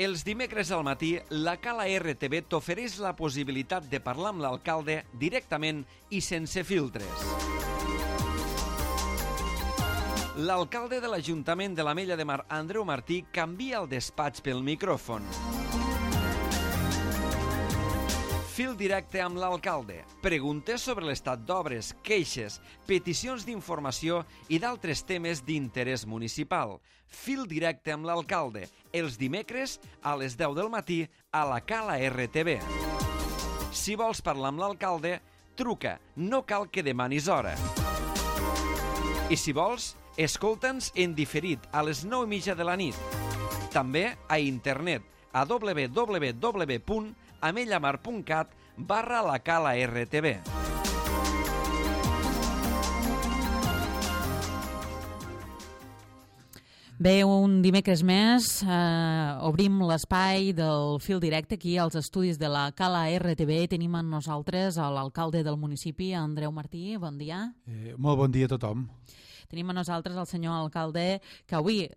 Els dimecres al matí, la Cala RTV t'ofereix la possibilitat de parlar amb l'alcalde directament i sense filtres. L'alcalde de l'Ajuntament de l'Ametlla de Mar, Andreu Martí, canvia el despatx pel micròfon. Fil directe amb l'alcalde. Preguntes sobre l'estat d'obres, queixes, peticions d'informació i d'altres temes d'interès municipal. Fil directe amb l'alcalde. Els dimecres a les 10 del matí a la Cala RTV. Si vols parlar amb l'alcalde, truca. No cal que demanis hora. I si vols, escolta'ns en diferit a les 9:30 de la nit. També a internet a www.amellamar.cat/la Cala RTV. Bé, un dimecres més obrim l'espai del fil directe aquí als estudis de la Cala RTV. Tenim amb nosaltres l'alcalde del municipi, Andreu Martí. Bon dia. Molt bon dia a tothom. Tenim a nosaltres el senyor alcalde que avui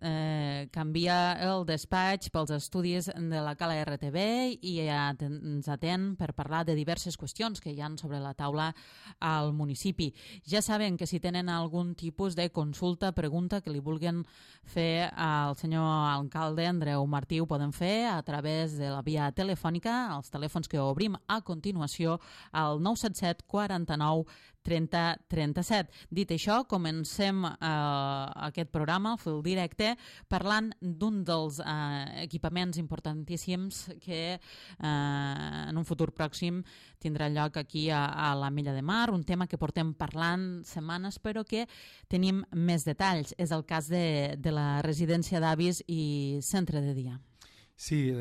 canvia el despatx pels estudis de la Cala RTV i ens atén per parlar de diverses qüestions que hi ha sobre la taula al municipi. Ja saben que si tenen algun tipus de consulta, pregunta que li vulguin fer al senyor alcalde Andreu Martí, ho poden fer a través de la via telefònica, els telèfons que obrim a continuació, al 977 49 30 37. Dit això, comencem aquest programa, el fil directe, parlant d'un dels equipaments importantíssims que en un futur pròxim tindrà lloc aquí a l'Ametlla de Mar, un tema que portem parlant setmanes però que tenim més detalls. És el cas de la residència d'avis i centre de dia. Sí,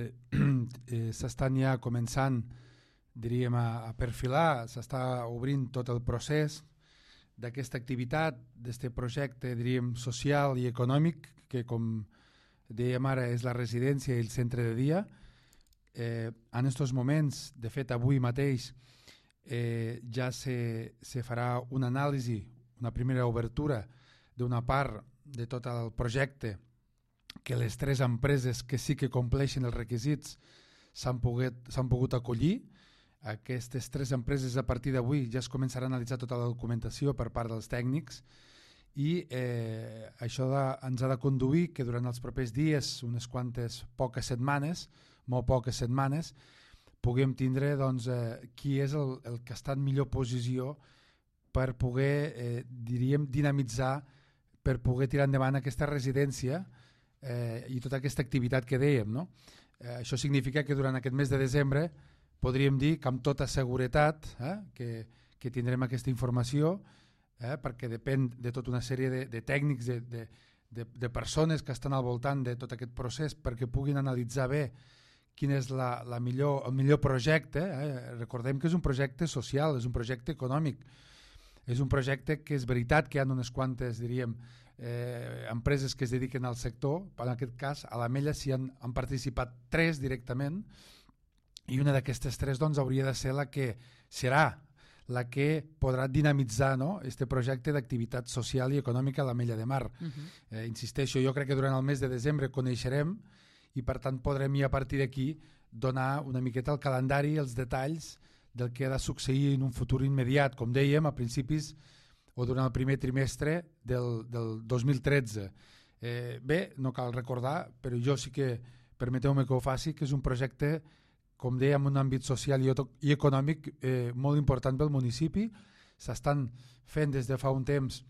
s'estan ja començant, diríem, a perfilar, s'està obrint tot el procés d'aquesta activitat, d'aquest projecte, diríem, social i econòmic, que com dèiem ara és la residència i el centre de dia. En aquests moments, de fet avui mateix, ja se farà una anàlisi, una primera obertura d'una part de tot el projecte, que les 3 empreses que sí que compleixen els requisits s'han pogut acollir. Aquestes 3 empreses a partir d'avui ja es començarà a analitzar tota la documentació per part dels tècnics i això ens ha de conduir que durant els propers dies, unes quantes poques setmanes, molt poques setmanes, puguem tindre doncs, qui és el que està en millor posició per poder, diríem, dinamitzar, per poder tirar endavant aquesta residència i tota aquesta activitat que dèiem, no? Això significa que durant aquest mes de desembre podríem dir que amb tota seguretat que tindrem aquesta informació, perquè depèn de tota una sèrie de tècnics, de persones que estan al voltant de tot aquest procés perquè puguin analitzar bé quin és el millor projecte. Recordem que és un projecte social, és un projecte econòmic, és un projecte que és veritat que hi ha unes quantes, diríem, empreses que es dediquen al sector. En aquest cas, a l'Ametlla s'hi han participat 3 directament, i una d'aquestes 3 doncs, hauria de ser la que serà la que podrà dinamitzar, no?, este projecte d'activitat social i econòmica a l'Ametlla de Mar. Insisteixo, jo crec que durant el mes de desembre coneixerem i per tant podrem ja a partir d'aquí donar una miqueta el calendari, els detalls del que ha de succeir en un futur immediat, com dèiem, a principis o durant el primer trimestre del 2013. Bé, no cal recordar, però jo sí que, permeteu-me que ho faci, que és un projecte, com dèiem, en un àmbit social i econòmic molt important pel municipi. S'estan fent des de fa un temps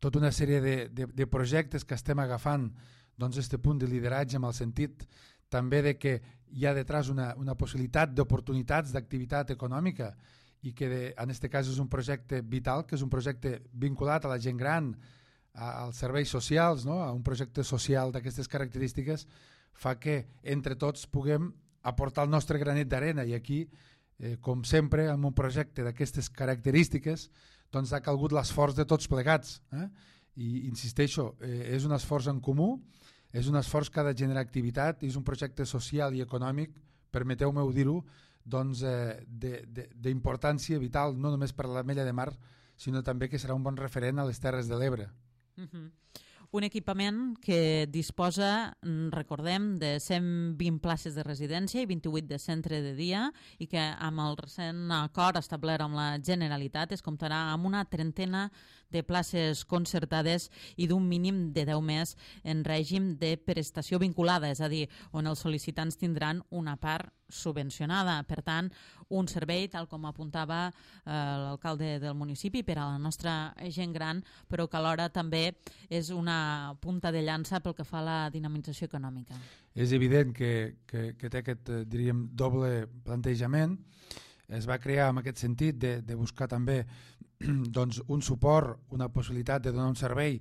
tota una sèrie de projectes que estem agafant doncs, este punt de lideratge, amb el sentit també de que hi ha detrás una possibilitat d'oportunitats d'activitat econòmica i que en aquest cas és un projecte vital, que és un projecte vinculat a la gent gran, als serveis socials, no? A un projecte social d'aquestes característiques, fa que entre tots puguem aportar el nostre granet d'arena i aquí, com sempre, en un projecte d'aquestes característiques, doncs ha calgut l'esforç de tots plegats. I insisteixo, és un esforç en comú, és un esforç que ha de generar activitat, és un projecte social i econòmic, permeteu-me dir-ho, doncs, d'importància vital, no només per l'Ametlla de Mar, sinó també que serà un bon referent a les Terres de l'Ebre. Un equipament que disposa, recordem, de 120 places de residència i 28 de centre de dia i que amb el recent acord establert amb la Generalitat es comptarà amb una trentena de places concertades i d'un mínim de 10 més en règim de prestació vinculada, és a dir, on els sol·licitants tindran una part subvencionada. Per tant, un servei, tal com apuntava l'alcalde del municipi, per a la nostra gent gran, però que alhora també és una punta de llança pel que fa a la dinamització econòmica. És evident que té aquest, diríem, doble plantejament. Es va crear en aquest sentit de buscar també doncs, un suport, una possibilitat de donar un servei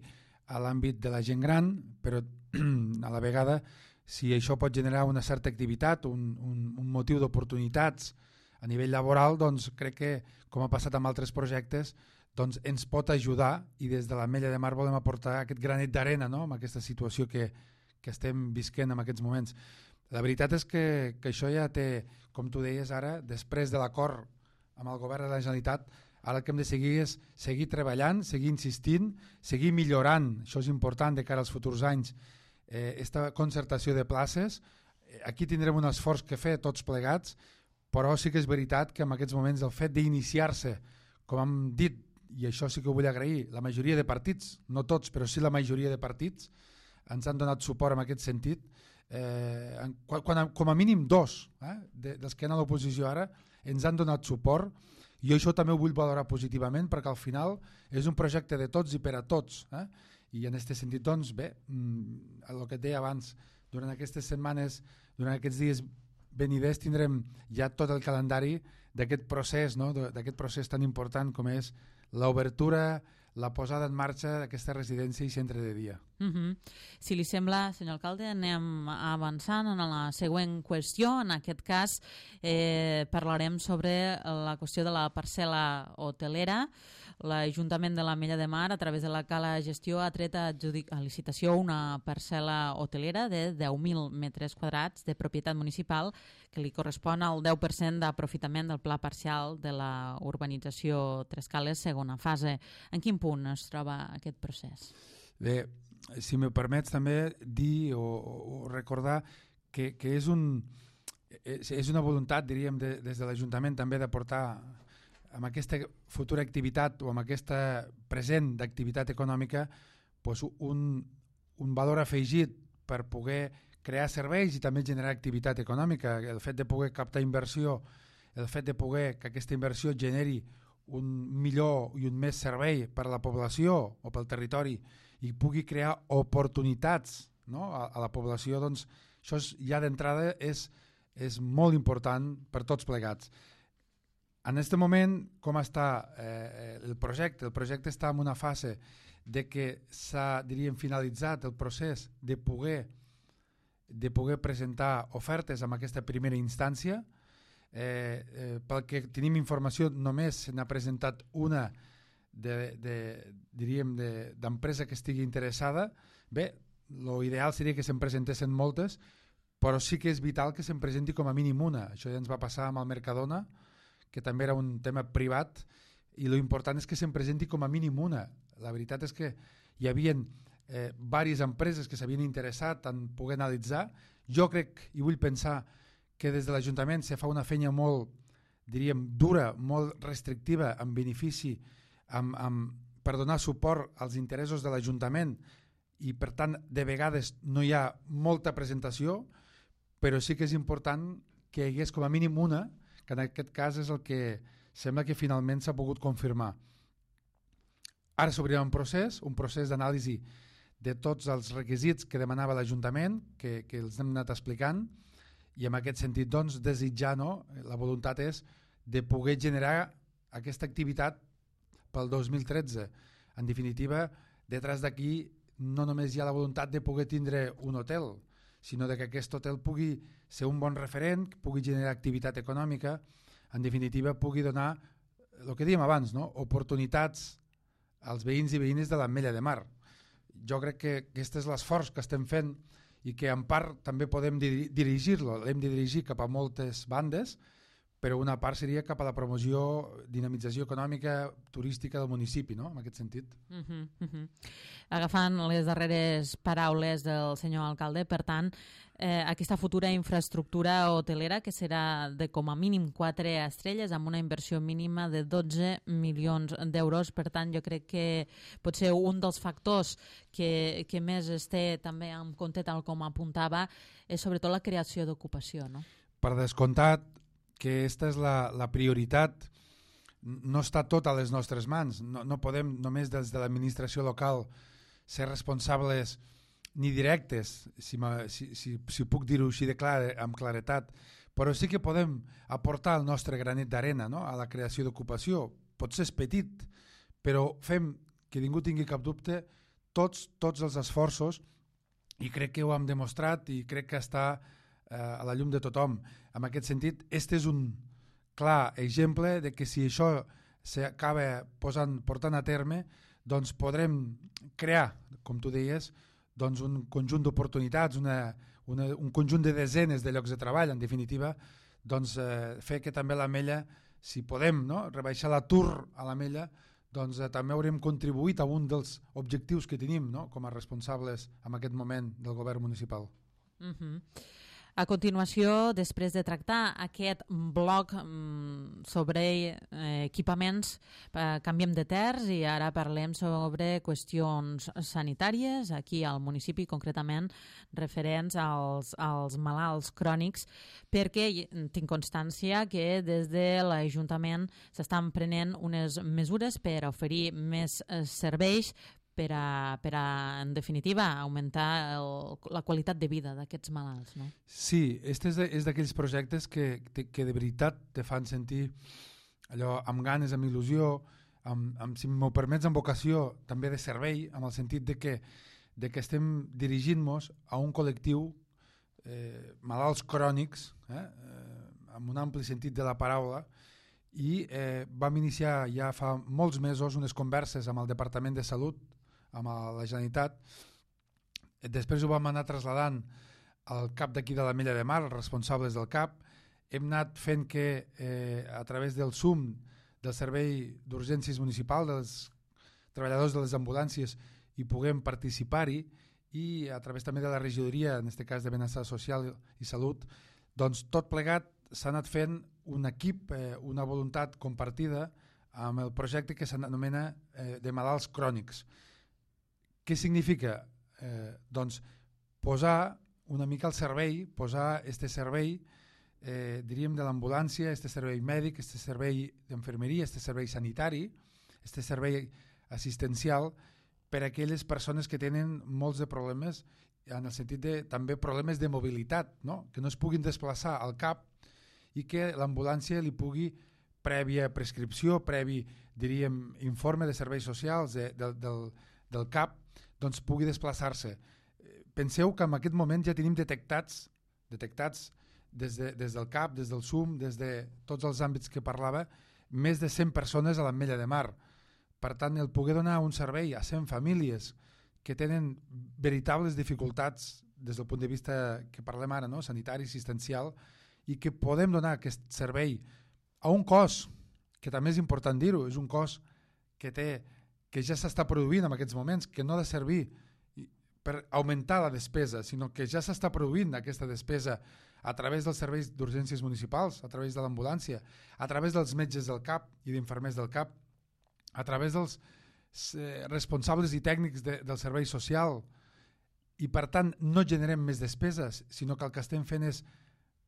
a l'àmbit de la gent gran, però a la vegada, si això pot generar una certa activitat, un motiu d'oportunitats a nivell laboral, doncs crec que, com ha passat amb altres projectes, doncs ens pot ajudar i des de l'Ametlla de Mar volem aportar aquest granet d'arena, no?, amb aquesta situació que estem visquent en aquests moments. La veritat és que això ja té, com tu deies ara, després de l'acord amb el govern de la Generalitat, ara el que hem de seguir és seguir treballant, seguir insistint, seguir millorant, això és important de cara als futurs anys, aquesta concertació de places. Aquí tindrem un esforç que fer tots plegats, però sí que és veritat que en aquests moments el fet d'iniciar-se, com hem dit, i això sí que ho vull agrair, la majoria de partits, no tots, però sí la majoria de partits, ens han donat suport en aquest sentit, com a mínim dos dels que han a l'oposició ara ens han donat suport, i això també ho vull valorar positivament perquè al final és un projecte de tots i per a tots, i en aquest sentit doncs bé, el que et deia abans, durant aquestes setmanes, durant aquests dies veniders tindrem ja tot el calendari d'aquest procés, no? D'aquest procés tan important com és l'obertura, la posada en marxa d'aquesta residència i centre de dia. Si li sembla, senyor alcalde, anem avançant en la següent qüestió. En aquest cas parlarem sobre la qüestió de la parcel·la hotelera. L'Ajuntament de l'Ametlla de Mar, a través de la Cala Gestió, ha tret a licitació una parcel·la hotelera de 10.000 metres quadrats de propietat municipal que li correspon al 10% d'aprofitament del pla parcial de la urbanització Tres Cales segona fase. En quin punt es troba aquest procés? Bé, si me permets també dir o recordar que és una voluntat, diríem, des de l'Ajuntament també d'aportar amb aquesta futura activitat o amb aquesta present d'activitat econòmica doncs un valor afegit per poder crear serveis i també generar activitat econòmica. El fet de poder captar inversió, el fet de poder que aquesta inversió generi un millor i un més servei per a la població o pel territori i pugui crear oportunitats, no?, a la població, doncs això ja d'entrada és molt important per tots plegats. En aquest moment, com està el projecte? El projecte està en una fase de que s'ha, diríem, finalitzat el procés de poder presentar ofertes en aquesta primera instància. Pel que tenim informació, només se n'ha presentat una d'empresa que estigui interessada. Bé, l'ideal seria que se'n presentessin moltes, però sí que és vital que se'n presenti com a mínim una. Això ja ens va passar amb el Mercadona, que també era un tema privat, i l'important és que se'n presenti com a mínim una. La veritat és que hi havia diverses empreses que s'havien interessat en poder analitzar. Jo crec i vull pensar que des de l'Ajuntament se fa una feina molt, diríem, dura, molt restrictiva, en benefici, per donar suport als interessos de l'Ajuntament, i per tant de vegades no hi ha molta presentació, però sí que és important que hi hagués com a mínim una, que en aquest cas és el que sembla que finalment s'ha pogut confirmar. Ara s'obrirà un procés d'anàlisi de tots els requisits que demanava l'Ajuntament, que els hem anat explicant, i en aquest sentit doncs, desitjar, no? La voluntat és de poder generar aquesta activitat pel 2013. En definitiva, detrás d'aquí no només hi ha la voluntat de poder tindre un hotel, sinó que aquest hotel pugui ser un bon referent, pugui generar activitat econòmica, en definitiva pugui donar, el que dèiem abans, no?, oportunitats als veïns i veïnes de l'Ametlla de Mar. Jo crec que aquest és l'esforç que estem fent i que en part també podem dirigir-lo, l'hem de dirigir cap a moltes bandes, però una part seria cap a la promoció, dinamització econòmica, turística del municipi, no? En aquest sentit. Agafant les darreres paraules del senyor alcalde, per tant, aquesta futura infraestructura hotelera que serà de com a mínim 4 estrelles amb una inversió mínima de 12 milions d'euros. Per tant, jo crec que pot ser un dels factors que més es té també en compte, tal com apuntava, és sobretot la creació d'ocupació, no? Per descomptat que aquesta és la prioritat. No està tot a les nostres mans. No podem només des de l'administració local ser responsables ni directes, si puc dir-ho així amb claretat, però sí que podem aportar el nostre granet d'arena, no? A la creació d'ocupació. Potser és petit, però fem que ningú tingui cap dubte tots els esforços, i crec que ho hem demostrat i crec que està a la llum de tothom. En aquest sentit, este és un clar exemple de que si això s'acaba portant a terme, doncs podrem crear, com tu deies, doncs un conjunt d'oportunitats, un conjunt de desenes de llocs de treball, en definitiva, doncs fer que també l'Ametlla, si podem, no, rebaixar l'atur a l'Ametlla, doncs també haurem contribuït a un dels objectius que tenim, no, com a responsables en aquest moment del govern municipal. A continuació, després de tractar aquest bloc sobre equipaments, canviem de terç i ara parlem sobre qüestions sanitàries aquí al municipi, concretament referents als malalts crònics, perquè tinc constància que des de l'Ajuntament s'estan prenent unes mesures per oferir més serveis per a, en definitiva, augmentar la qualitat de vida d'aquests malalts, no? Sí, este és d'aquells projectes que de veritat te fan sentir allò amb ganes, amb il·lusió, si m'ho permets, amb vocació també de servei, amb el sentit de que estem dirigint-nos a un col·lectiu malalts crònics, amb un ampli sentit de la paraula, i vam iniciar ja fa molts mesos unes converses amb el Departament de Salut, amb la Generalitat. Després ho vam anar traslladant al CAP d'aquí de l'Ametlla de Mar, els responsables del CAP. Hem anat fent que a través del SUM, del Servei d'Urgències Municipal, dels treballadors de les ambulàncies, hi puguem participar-hi, i a través també de la regidoria, en aquest cas de Benestar Social i Salut, doncs tot plegat s'ha anat fent un equip, una voluntat compartida amb el projecte que s'anomena de malalts crònics. Què significa? Doncs posar una mica al servei, posar este servei, diríem, de l'ambulància, este servei mèdic, este servei d'infermeria, este servei sanitari, este servei assistencial per a aquelles persones que tenen molts de problemes, en el sentit de també problemes de mobilitat, no? Que no es puguin desplaçar al CAP i que l'ambulància li pugui, prèvia prescripció, previ, diríem, informe de serveis socials del CAP, doncs pugui desplaçar-se. Penseu que en aquest moment ja tenim detectats des del CAP, des del SUM, des de tots els àmbits que parlava, més de 100 persones a l'Ametlla de Mar. Per tant, el poder donar un servei a 100 famílies que tenen veritables dificultats des del punt de vista que parlem ara, no? Sanitari, assistencial, i que podem donar aquest servei a un cost, que també és important dir-ho, és un cost que ja s'està produint en aquests moments, que no ha de servir per augmentar la despesa, sinó que ja s'està produint aquesta despesa a través dels serveis d'urgències municipals, a través de l'ambulància, a través dels metges del CAP i d'infermers del CAP, a través dels responsables i tècnics del servei social, i per tant no generem més despeses, sinó que el que estem fent és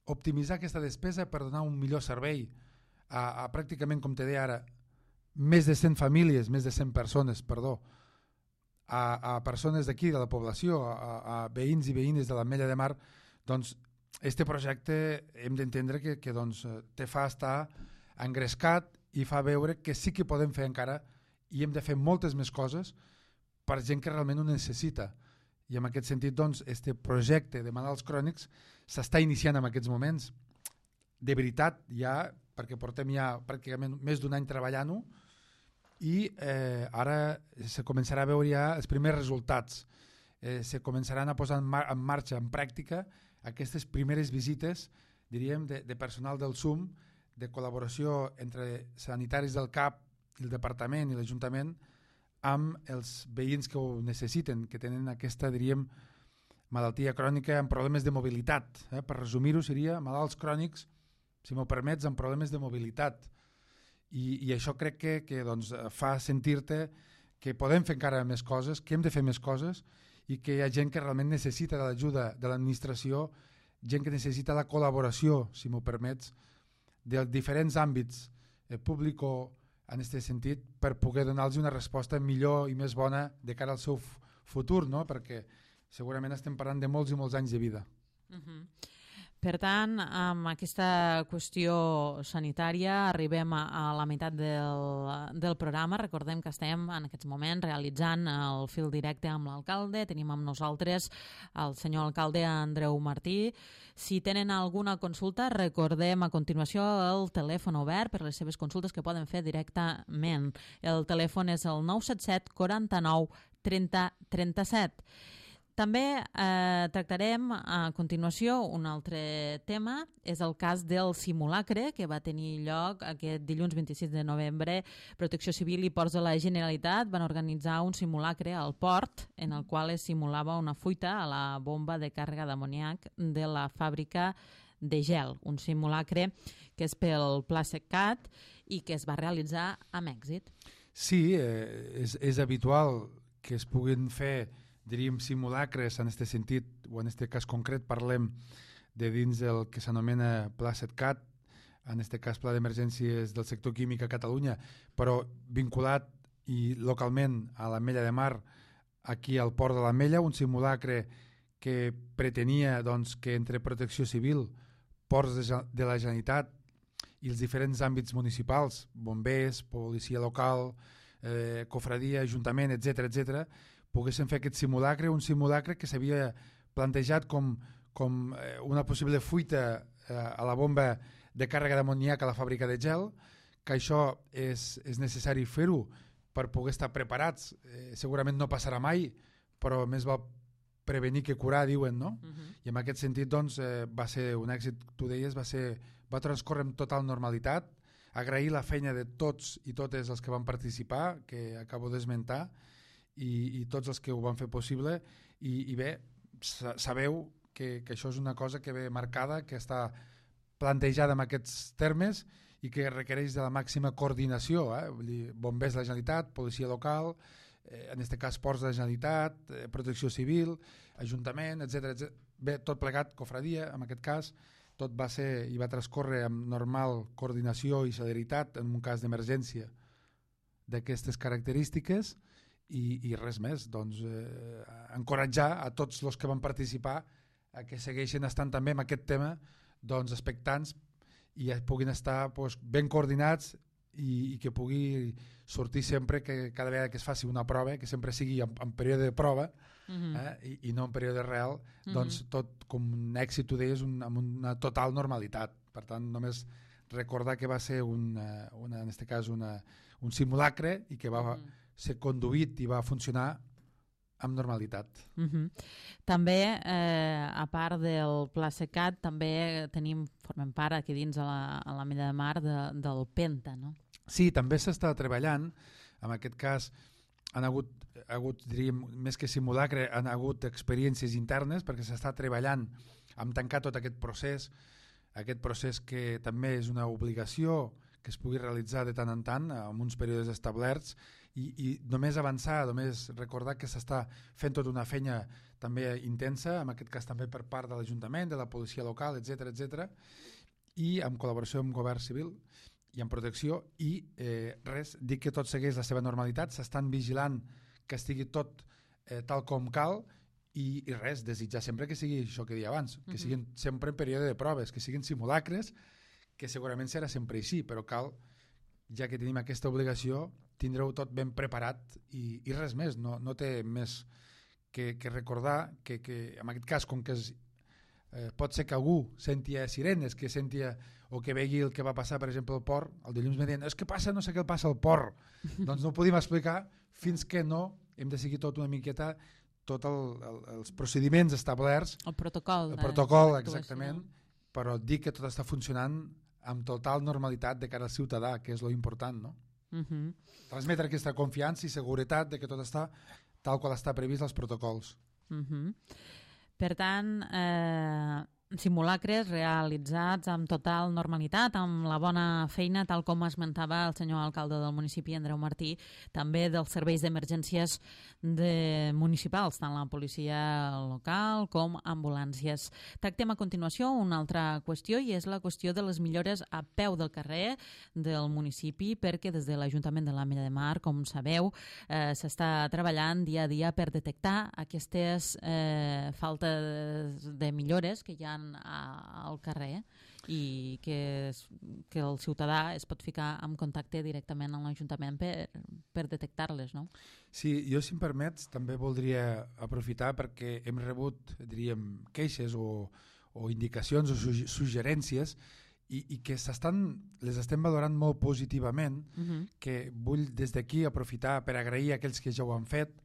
optimitzar aquesta despesa per donar un millor servei a pràcticament, com te deia ara, més de 100 famílies, més de 100 persones, perdó, a persones d'aquí, de la població, a veïns i veïnes de l'Ametlla de Mar. Doncs este projecte hem d'entendre que doncs, te fa estar engrescat i fa veure que sí que podem fer encara, i hem de fer moltes més coses per gent que realment ho necessita. I en aquest sentit, doncs, este projecte de malalts crònics s'està iniciant en aquests moments. De veritat, ja, perquè portem ja pràcticament més d'un any treballant-ho, i ara se començarà a veure ja els primers resultats. Se començaran a posar en marxa, en pràctica, aquestes primeres visites, diríem, de personal del SUM, de col·laboració entre sanitaris del CAP, el departament i l'Ajuntament amb els veïns que ho necessiten, que tenen aquesta, diríem, malaltia crònica amb problemes de mobilitat. Per resumir-ho seria malalts crònics, si m'ho permets, amb problemes de mobilitat. I això crec que doncs, fa sentir-te que podem fer encara més coses, que hem de fer més coses i que hi ha gent que realment necessita l'ajuda de l'administració, gent que necessita la col·laboració, si m'ho permets, dels diferents àmbits públic o en aquest sentit per poder donar-los una resposta millor i més bona de cara al seu futur, no? Perquè segurament estem parlant de molts i molts anys de vida. Per tant, amb aquesta qüestió sanitària arribem a la meitat del programa. Recordem que estem en aquests moments realitzant el fil directe amb l'alcalde. Tenim amb nosaltres el senyor alcalde Andreu Martí. Si tenen alguna consulta, recordem a continuació el telèfon obert per les seves consultes que poden fer directament. El telèfon és el 977 49 30 37. També tractarem a continuació un altre tema, és el cas del simulacre que va tenir lloc aquest dilluns 26 de novembre. Protecció Civil i Ports de la Generalitat van organitzar un simulacre al port en el qual es simulava una fuita a la bomba de càrrega d'amoníac de la fàbrica de gel. Un simulacre que és pel Pla SECAT i que es va realitzar amb èxit. Sí, és habitual que es puguin fer, diríem, simulacres en aquest sentit, o en aquest cas concret parlem de dins del que s'anomena Pla SECAT, en aquest cas Pla d'Emergències del Sector Químic a Catalunya, però vinculat i localment a l'Ametlla de Mar, aquí al Port de l'Ametlla, un simulacre que pretenia doncs, que entre Protecció Civil, Ports de la Generalitat i els diferents àmbits municipals, bombers, policia local, cofradia, ajuntament, etc., poguessin fer aquest simulacre, un simulacre que s'havia plantejat com una possible fuita a la bomba de càrrega d'amoníac a la fàbrica de gel, que això és necessari fer-ho per poder estar preparats. Segurament no passarà mai, però més val prevenir que curar, diuen, no? I en aquest sentit doncs, va ser un èxit, tu deies, va transcorrer amb total normalitat. Agrair la feina de tots i totes els que van participar, que acabo d'esmentar, i tots els que ho van fer possible, i bé, sabeu que això és una cosa que ve marcada, que està plantejada en aquests termes i que requereix de la màxima coordinació, vull dir, bombers de la Generalitat, policia local, en aquest cas Ports de la Generalitat, Protecció Civil, Ajuntament, etc. Bé, tot plegat, cofradia, en aquest cas, tot va ser i va transcorrer amb normal coordinació i celeritat en un cas d'emergència d'aquestes característiques. I res més, doncs encoratjar a tots els que van participar a que segueixin estant també en aquest tema doncs, expectants i puguin estar doncs, ben coordinats i que pugui sortir sempre que cada vegada que es faci una prova, que sempre sigui en període de prova i no en període real, doncs tot com un èxit, tu deies, amb una total normalitat. Per tant, només recordar que va ser en aquest cas un simulacre i que va ser conduït i va funcionar amb normalitat. També, a part del Pla SECAT, també formem part aquí dins a l'Ametlla de Mar del Penta, no? Sí, també s'està treballant. En aquest cas han hagut, diríem, més que simulacre, han hagut experiències internes perquè s'està treballant amb tancar tot aquest procés que també és una obligació que es pugui realitzar de tant en tant amb uns períodes establerts i només avançar, només recordar que s'està fent tota una feina també intensa, en aquest cas també per part de l'Ajuntament, de la policia local, etc., i amb col·laboració amb Govern Civil i amb protecció i dir que tot segueix la seva normalitat, s'estan vigilant que estigui tot tal com cal i res, desitjar sempre que sigui això que deia abans, que siguin sempre en període de proves, que siguin simulacres, que segurament serà sempre així, però cal, ja que tenim aquesta obligació, tindreu tot ben preparat i res més, no té més que recordar que en aquest cas, com que pot ser que algú sentia sirenes, que sentia o que vegi el que va passar, per exemple, al port, el dilluns me deien, és que passa, no sé què passa al port. Doncs no ho podíem explicar fins que no hem de seguir tot una miqueta, tots els procediments establerts. El protocol. El protocol, exactament, però dir que tot està funcionant amb total normalitat de cara al ciutadà, que és lo important, no? Transmetre aquesta confiança i seguretat de que tot està tal qual està previst als protocols. Per tant, simulacres realitzats amb total normalitat, amb la bona feina, tal com esmentava el senyor alcalde del municipi, Andreu Martí, també dels serveis d'emergències municipals, tant la policia local com ambulàncies. Tractem a continuació una altra qüestió, i és la qüestió de les millores a peu del carrer del municipi, perquè des de l'Ajuntament de l'Ametlla de Mar, com sabeu, s'està treballant dia a dia per detectar aquestes faltes de millores que hi ha al carrer i que el ciutadà es pot ficar en contacte directament amb l'Ajuntament per detectar-les, no? Sí, jo, si em permets, també voldria aprofitar perquè hem rebut, diríem, queixes o indicacions o suggerències i que les estem valorant molt positivament, que vull des d'aquí aprofitar per agrair a aquells que ja ho han fet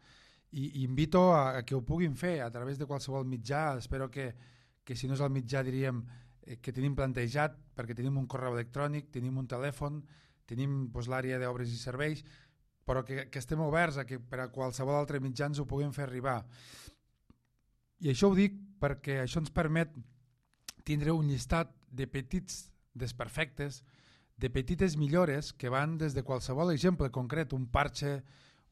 i invito a que ho puguin fer a través de qualsevol mitjà. Espero que si no és el mitjà, diríem, que tenim plantejat, perquè tenim un correu electrònic, tenim un telèfon, tenim l'àrea d'obres i serveis, però que estem oberts a que per a qualsevol altre mitjà ens ho puguem fer arribar. I això ho dic perquè això ens permet tindre un llistat de petits desperfectes, de petites millores que van des de qualsevol exemple concret, un parxe,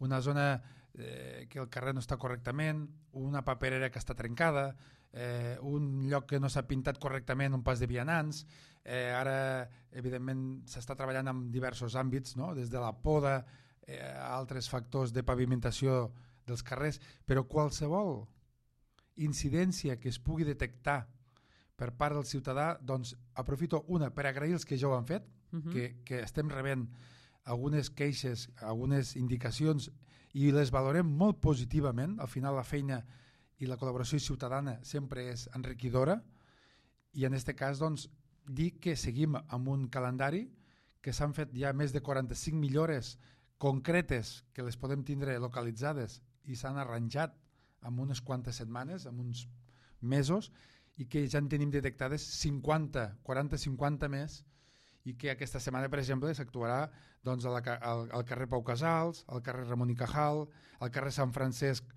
una zona que el carrer no està correctament, una paperera que està trencada, un lloc que no s'ha pintat correctament, un pas de vianants. Ara, evidentment, s'està treballant en diversos àmbits, no? Des de la poda a altres factors de pavimentació dels carrers, però qualsevol incidència que es pugui detectar per part del ciutadà, doncs aprofito per agrair els que ja ho han fet, que estem rebent algunes queixes, algunes indicacions i les valorem molt positivament. Al final la feina i la col·laboració ciutadana sempre és enriquidora, i en aquest cas doncs, dir que seguim amb un calendari, que s'han fet ja més de 45 millores concretes que les podem tindre localitzades i s'han arranjat en unes quantes setmanes, en uns mesos, i que ja en tenim detectades 40-50 més, i que aquesta setmana, per exemple, s'actuarà doncs, al carrer Pau Casals, al carrer Ramon i Cajal, al carrer Sant Francesc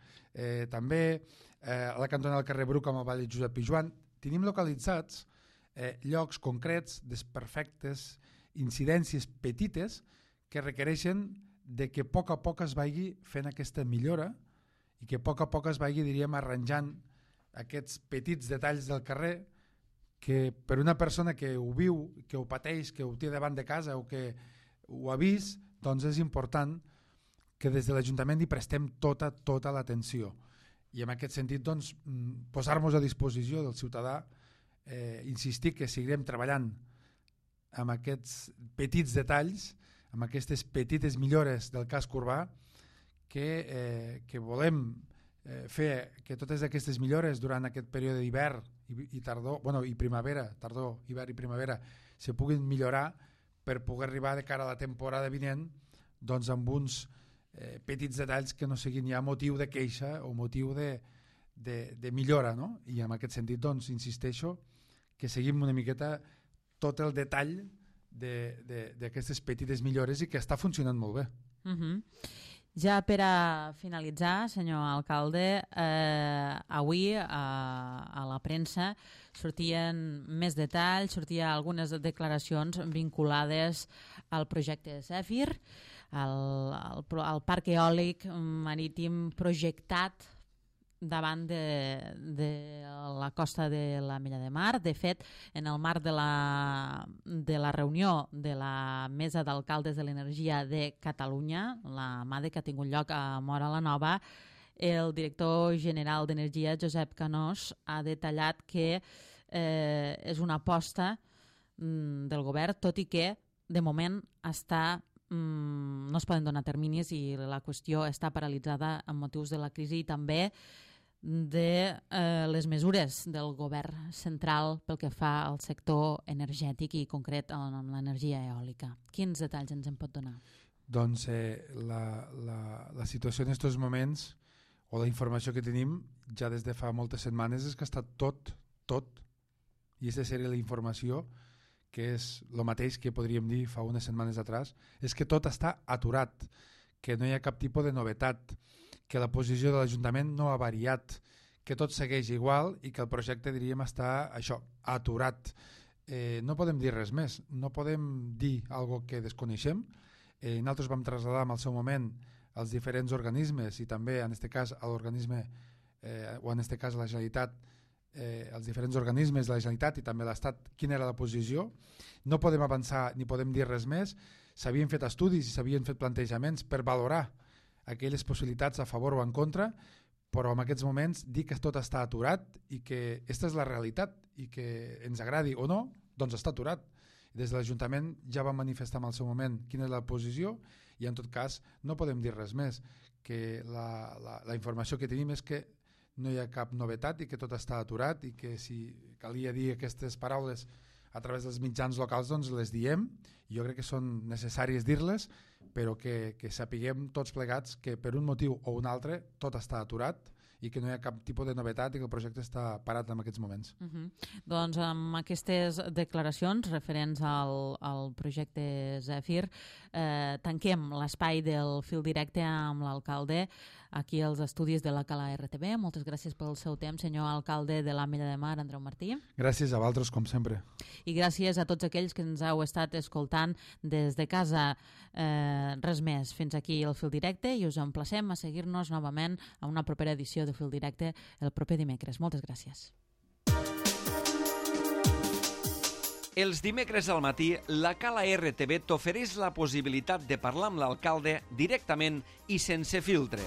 també, a la cantonada del carrer Bruc amb el Vall Josep Pijuan. Tenim localitzats llocs concrets, desperfectes, incidències petites que requereixen de que a poc es vagi fent aquesta millora i que a poc es vagi, diríem, arranjant aquests petits detalls del carrer que per una persona que ho viu, que ho pateix, que ho té davant de casa o que ho ha vist, doncs és important que des de l'Ajuntament hi prestem tota l'atenció. I en aquest sentit, doncs, posar-nos a disposició del ciutadà, insistir que seguirem treballant amb aquests petits detalls, amb aquestes petites millores del casc urbà, que volem fer que totes aquestes millores durant aquest període d'hivern i tardor, i primavera, tardor, hivern i primavera, se puguin millorar per poder arribar de cara a la temporada vinent doncs amb uns petits detalls que no siguin ja motiu de queixa o motiu de millora, no? I en aquest sentit, doncs, insisteixo que seguim una miqueta tot el detall d'aquestes petites millores i que està funcionant molt bé. Ja per a finalitzar, senyor alcalde, avui a la premsa sortien més detalls, sortien algunes declaracions vinculades al projecte Zèfir, al parc eòlic marítim projectat davant de la costa de l'Ametlla de Mar. De fet, en el marc de la reunió de la Mesa d'Alcaldes de l'Energia de Catalunya, la MADE, que ha tingut lloc a Móra la Nova, el director general d'Energia, Josep Canós, ha detallat que és una aposta del govern, tot i que de moment no es poden donar terminis i la qüestió està paralitzada amb motius de la crisi i també de les mesures del govern central pel que fa al sector energètic i concret amb l'energia eòlica. Quins detalls ens en pot donar? Doncs la situació en aquests moments, o la informació que tenim ja des de fa moltes setmanes, és que està tot, i aquesta seria la informació, que és el mateix que podríem dir fa unes setmanes atrás, és que tot està aturat, que no hi ha cap tipus de novetat, que la posició de l'Ajuntament no ha variat, que tot segueix igual i que el projecte, diríem, està això, aturat. No podem dir res més, no podem dir algo que desconeixem. Nosaltres vam traslladar en el seu moment als diferents organismes i també, en aquest cas, a l'organisme, o en aquest cas a la Generalitat, els diferents organismes de la Generalitat i també l'Estat, quina era la posició. No podem avançar ni podem dir res més. S'havien fet estudis i s'havien fet plantejaments per valorar aquelles possibilitats a favor o en contra, però en aquests moments dir que tot està aturat i que aquesta és la realitat i que ens agradi o no, doncs està aturat. Des de l'Ajuntament ja vam manifestar en el seu moment quina és la posició i en tot cas no podem dir res més, que la informació que tenim és que no hi ha cap novetat i que tot està aturat i que si calia dir aquestes paraules a través dels mitjans locals doncs les diem. Jo crec que són necessàries dir-les, però que sapiguem tots plegats que per un motiu o un altre tot està aturat i que no hi ha cap tipus de novetat i que el projecte està parat en aquests moments. Doncs amb aquestes declaracions referents al projecte Zèfir tanquem l'espai del fil directe amb l'alcalde aquí als estudis de la Cala RTV. Moltes gràcies pel seu temps, senyor alcalde de l'Ametlla de Mar, Andreu Martí. Gràcies a vosaltres, com sempre. I gràcies a tots aquells que ens heu estat escoltant des de casa. Res més, fins aquí el fil directe i us emplacem a seguir-nos novament a una propera edició de Fil Directe el proper dimecres. Moltes gràcies. Els dimecres al matí, la Cala RTV t'ofereix la possibilitat de parlar amb l'alcalde directament i sense filtres.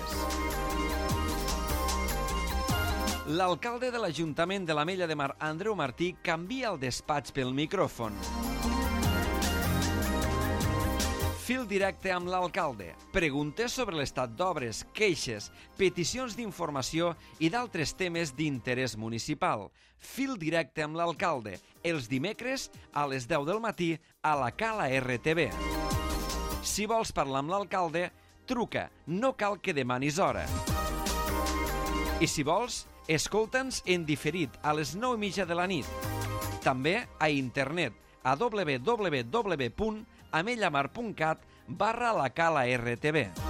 L'alcalde de l'Ajuntament de l'Ametlla de Mar, Andreu Martí, canvia el despatx pel micròfon. Fil directe amb l'alcalde. Preguntes sobre l'estat d'obres, queixes, peticions d'informació i d'altres temes d'interès municipal. Fil directe amb l'alcalde. Els dimecres a les 10 del matí a la Cala RTV. Si vols parlar amb l'alcalde, truca. No cal que demanis hora. I si vols, escolta'ns en diferit a les 9:30 de la nit. També a internet a www.amellamar.cat/la Cala RTV.